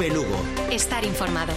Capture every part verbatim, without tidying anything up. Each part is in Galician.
Cope Lugo. Estar informado.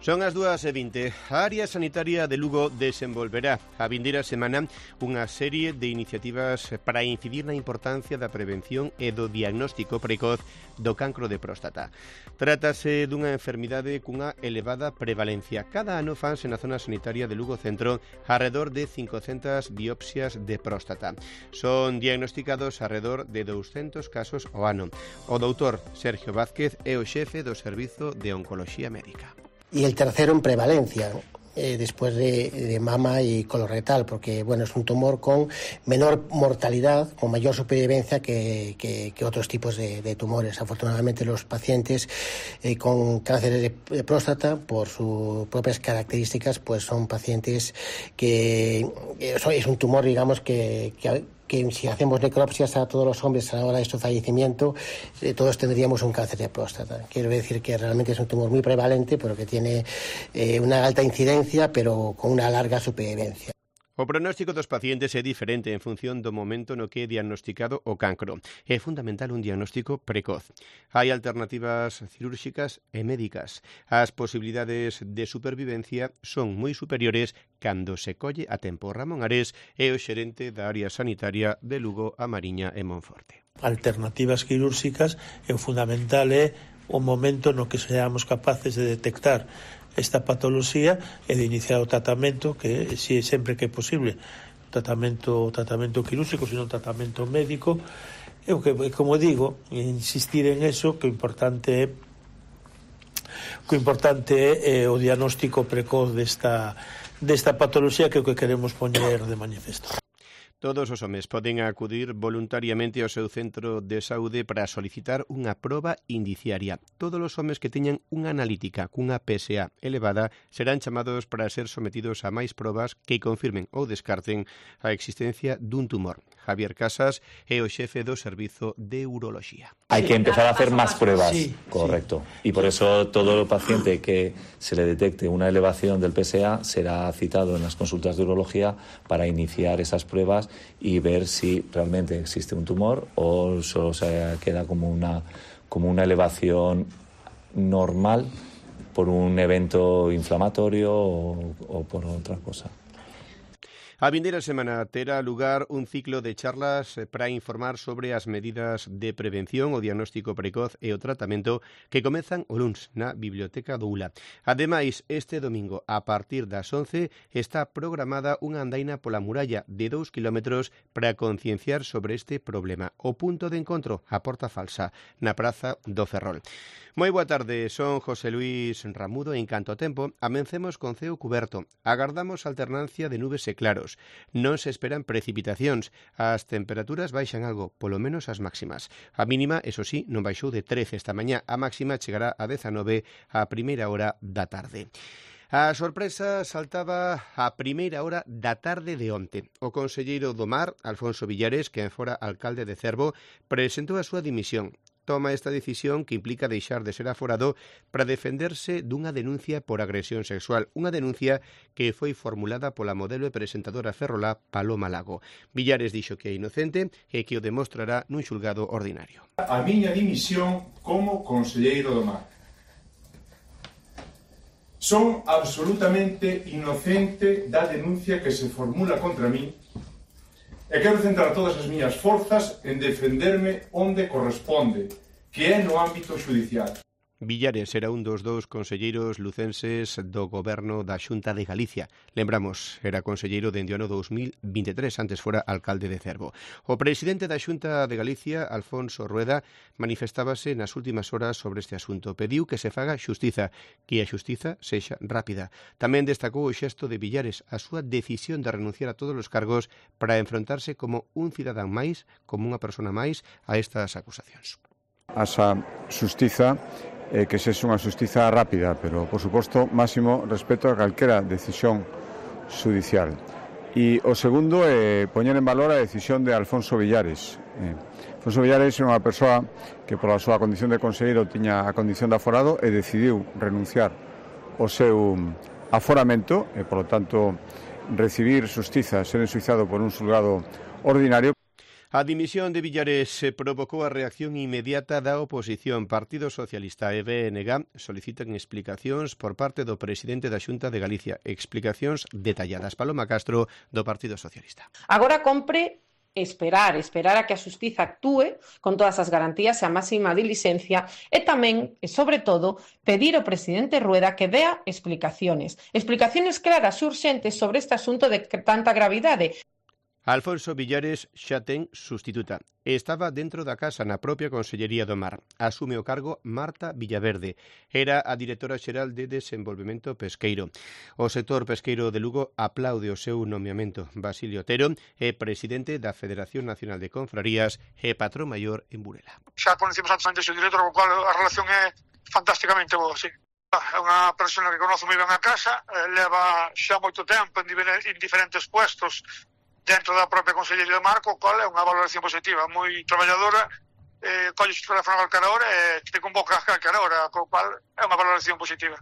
Son as dúas e vinte. A área sanitaria de Lugo desenvolverá a vindeira semana unha serie de iniciativas para incidir na importancia da prevención e do diagnóstico precoz do cancro de próstata. Trátase dunha enfermidade cunha elevada prevalencia. Cada ano fanse na zona sanitaria de Lugo Centro arredor de cincocentas biopsias de próstata. Son diagnosticados arredor de douscentos casos ao ano. O doutor Sergio Vázquez é o xefe do Servizo de Oncoloxía Médica. Y el tercero en prevalencia, eh, después de, de mama y colorectal, porque bueno, es un tumor con menor mortalidad, con mayor supervivencia que, que, que otros tipos de, de tumores. Afortunadamente los pacientes eh, con cáncer de, de próstata, por sus propias características, pues son pacientes que eh, es un tumor, digamos, que, que que si hacemos necropsias a todos los hombres a la hora de su fallecimiento, eh, todos tendríamos un cáncer de próstata. Quiero decir que realmente es un tumor muy prevalente, pero que tiene eh, una alta incidencia, pero con una larga supervivencia. O pronóstico dos pacientes é diferente en función do momento no que é diagnosticado o cancro. É fundamental un diagnóstico precoz. Hai alternativas cirúrxicas e médicas. As posibilidades de supervivencia son moi superiores cando se colle a tempo. Ramón Ares é o xerente da área sanitaria de Lugo, A Mariña e Monforte. Alternativas quirúrxicas é fundamental é o momento no que seamos capaces de detectar esta patoloxía e de iniciar o tratamento, que si sempre que é posible, tratamento tratamento quirúrxico, sino tratamento médico. E o que, como digo, insistir en eso, que o importante é que o importante é o diagnóstico precoz desta desta patoloxía, que é o que queremos poñer de manifesto. Todos os homes poden acudir voluntariamente ao seu centro de saúde para solicitar unha proba indiciaria. Todos os homes que teñan unha analítica cunha P S A elevada serán chamados para ser sometidos a máis probas que confirmen ou descarten a existencia dun tumor. Javier Casas é o xefe do Servizo de Uroloxía. Hay que empezar a hacer más pruebas, sí, correcto. Sí. Y por eso todo paciente que se le detecte una elevación del P S A será citado en las consultas de urología para iniciar esas pruebas y ver si realmente existe un tumor o solo se queda como una, como una elevación normal por un evento inflamatorio o, o por otra cosa. A vindeira semana terá lugar un ciclo de charlas para informar sobre as medidas de prevención, o diagnóstico precoz e o tratamento que comezan o luns na Biblioteca do Ula. Ademais, este domingo, a partir das once, está programada unha andaina pola muralla de dous kilómetros para concienciar sobre este problema. O punto de encontro, a Porta Falsa, na Praza do Ferrol. Moi boa tarde, son José Luis Ramudo e en canto ao tempo, amencemos con ceo cuberto. Agardamos alternancia de nubes e claros. Non se esperan precipitacións. As temperaturas baixan algo, polo menos as máximas. A mínima, eso sí, non baixou de trece esta mañá. A máxima chegará a dezanove a primeira hora da tarde. A sorpresa saltaba a primeira hora da tarde de onte. O conselleiro do Mar, Alfonso Villares, que fora alcalde de Cervo, presentou a súa dimisión. Toma esta decisión que implica deixar de ser aforado para defenderse dunha denuncia por agresión sexual, unha denuncia que foi formulada pola modelo e presentadora ferrolá Paloma Lago. Villares dixo que é inocente e que o demostrará nun xulgado ordinario. A miña dimisión como conselleiro do Mar. Son absolutamente inocente da denuncia que se formula contra mí e quero centrar todas as miñas forzas en defenderme onde corresponde, que é no ámbito xudicial. Villares era un dos dous conselleiros lucenses do goberno da Xunta de Galicia. Lembramos, era conselleiro dende o ano dous mil vinte e tres, antes fora alcalde de Cervo. O presidente da Xunta de Galicia, Alfonso Rueda, manifestábase nas últimas horas sobre este asunto. Pediu que se faga xustiza, que a xustiza sexa rápida. Tamén destacou o xesto de Villares, a súa decisión de renunciar a todos os cargos para enfrontarse como un cidadán máis, como unha persona máis, a estas acusacións. Asa xustiza eh, que sexa unha xustiza rápida, pero, por suposto, máximo respeto a calquera decisión judicial. E o segundo é eh, poñer en valor a decisión de Alfonso Villares. Eh, Alfonso Villares é unha persoa que, pola súa condición de conselleiro, tiña a condición de aforado e decidiu renunciar o seu aforamento e, polo tanto, recibir xustiza, ser ensuizado por un xulgado ordinario. A dimisión de Villares provocou a reacción inmediata da oposición. Partido Socialista e B N G solicitan explicacións por parte do presidente da Xunta de Galicia. Explicacións detalladas. Paloma Castro, do Partido Socialista. Agora compre esperar, esperar a que a xustiza actúe con todas as garantías e a máxima dilixencia e tamén, e sobre todo, pedir ao presidente Rueda que dea explicaciones. Explicaciones claras e urxentes sobre este asunto de tanta gravidade. Alfonso Villares xa ten sustituta. Estaba dentro da casa na propia Consellería do Mar. Asume o cargo Marta Villaverde. Era a directora xeral de Desenvolvemento Pesqueiro. O sector pesqueiro de Lugo aplaude o seu nomeamento. Basilio Otero é presidente da Federación Nacional de Confrarías e patrón maior en Burela. Xa conhecemos antes o director, co cual a relación é fantásticamente boa, sí. É unha persona que conoce moi ben a casa, leva xa moito tempo en diferentes puestos dentro da propia Consellería do Mar, co cual é unha valoración positiva, moi traballadora, eh, colle o teléfono a calquera hora e te convoca a calquera hora, co cual é unha valoración positiva.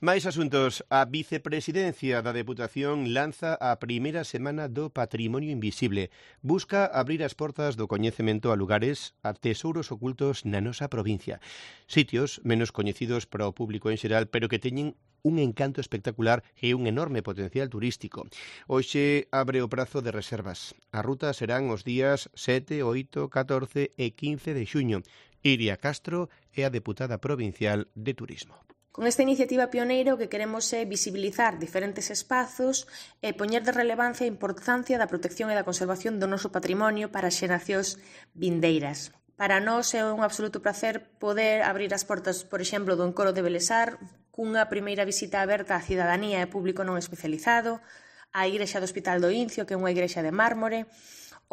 Máis asuntos. A vicepresidencia da Deputación lanza a primeira semana do Patrimonio Invisible. Busca abrir as portas do coñecemento a lugares, a tesouros ocultos na nosa provincia. Sitios menos coñecidos para o público en xeral, pero que teñen un encanto espectacular e un enorme potencial turístico. Hoxe abre o prazo de reservas. A ruta serán os días sete, oito, catorce e quince de xuño. Iria Castro é a deputada provincial de Turismo. Con esta iniciativa pioneira o que queremos é visibilizar diferentes espazos e poñer de relevancia a importancia da protección e da conservación do noso patrimonio para as xeracións vindeiras. Para nós é un absoluto placer poder abrir as portas, por exemplo, do Encoro de Belesar, cunha primeira visita aberta á cidadanía e público non especializado, a Igrexa do Hospital do Incio, que é unha igrexa de mármore,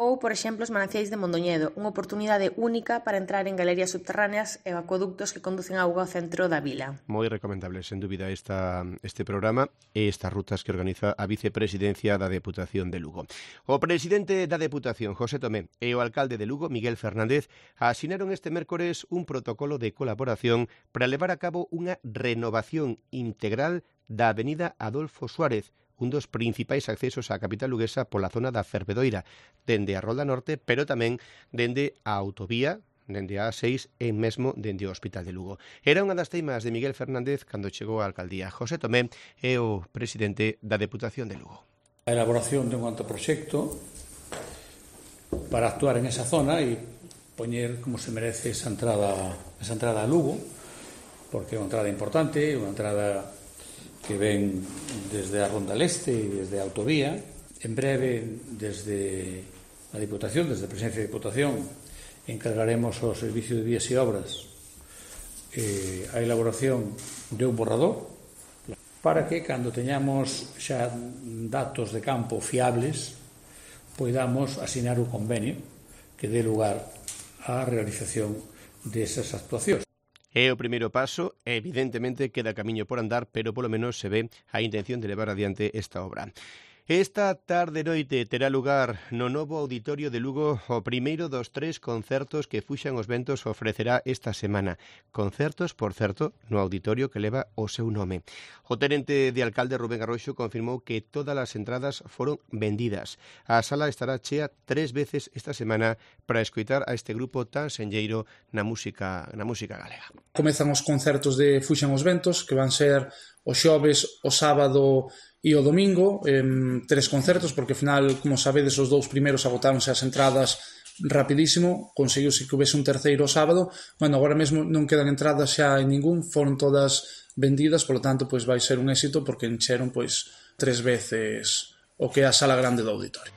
ou, por exemplo, os Mananciais de Mondoñedo, unha oportunidade única para entrar en galerías subterráneas e acueductos que conducen auga ao centro da vila. Moi recomendable, sen dúbida, esta, este programa e estas rutas que organiza a vicepresidencia da Deputación de Lugo. O presidente da Deputación, José Tomé, e o alcalde de Lugo, Miguel Fernández, asinaron este mércores un protocolo de colaboración para levar a cabo unha renovación integral da avenida Adolfo Suárez, un dos principais accesos á capital luguesa pola zona da Fervedoira, dende a Rolda Norte, pero tamén dende a autovía, dende a A seis e mesmo dende o Hospital de Lugo. Era unha das teimas de Miguel Fernández cando chegou á alcaldía. José Tomé é o presidente da Deputación de Lugo. A elaboración de un anteproxecto para actuar en esa zona e poñer como se merece esa entrada, esa entrada a Lugo, porque é unha entrada importante, unha entrada que ven desde a Ronda Leste e desde a autovía. En breve, desde a Diputación, desde a Presidencia de Diputación, encargaremos ao Servicio de Vías e Obras eh, a elaboración de un borrador para que, cando teñamos xa datos de campo fiables, poidamos asinar o convenio que dé lugar á realización desas actuacións. É o primeiro paso, evidentemente queda camiño por andar, pero polo menos se ve a intención de levar adiante esta obra. Esta tarde noite terá lugar no novo Auditorio de Lugo o primeiro dos tres concertos que Fuxan os Ventos ofrecerá esta semana. Concertos, por certo, no auditorio que leva o seu nome. O tenente de alcalde Rubén Arroxo confirmou que todas as entradas foron vendidas. A sala estará chea tres veces esta semana para escoitar a este grupo tan senlleiro na música, na música galega. Comezan os concertos de Fuxan os Ventos, que van ser o xoves, o sábado e o domingo, eh, tres concertos, porque ao final, como sabedes, os dous primeiros agotáronse as entradas rapidísimo, conseguiuse que houvese un terceiro sábado. Bueno, agora mesmo non quedan entradas xa en ningún, foron todas vendidas, polo tanto, pois vai ser un éxito porque encheron pois tres veces o que é a sala grande do auditorio.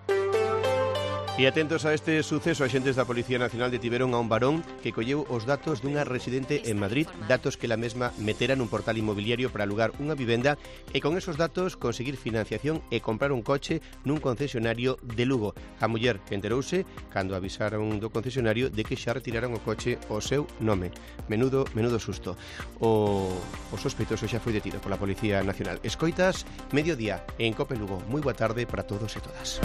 E atentos a este suceso, axentes da Policía Nacional detiveron a un varón que colleu os datos dunha residente en Madrid, datos que la mesma metera nun portal inmobiliario para alugar unha vivenda e con esos datos conseguir financiación e comprar un coche nun concesionario de Lugo. A muller enterouse cando avisaron do concesionario de que xa retiraron o coche o seu nome. Menudo, menudo susto. O, o sospeitoso xa foi detido pola Policía Nacional. Escoitas, mediodía en Cope Lugo. Moi boa tarde para todos e todas.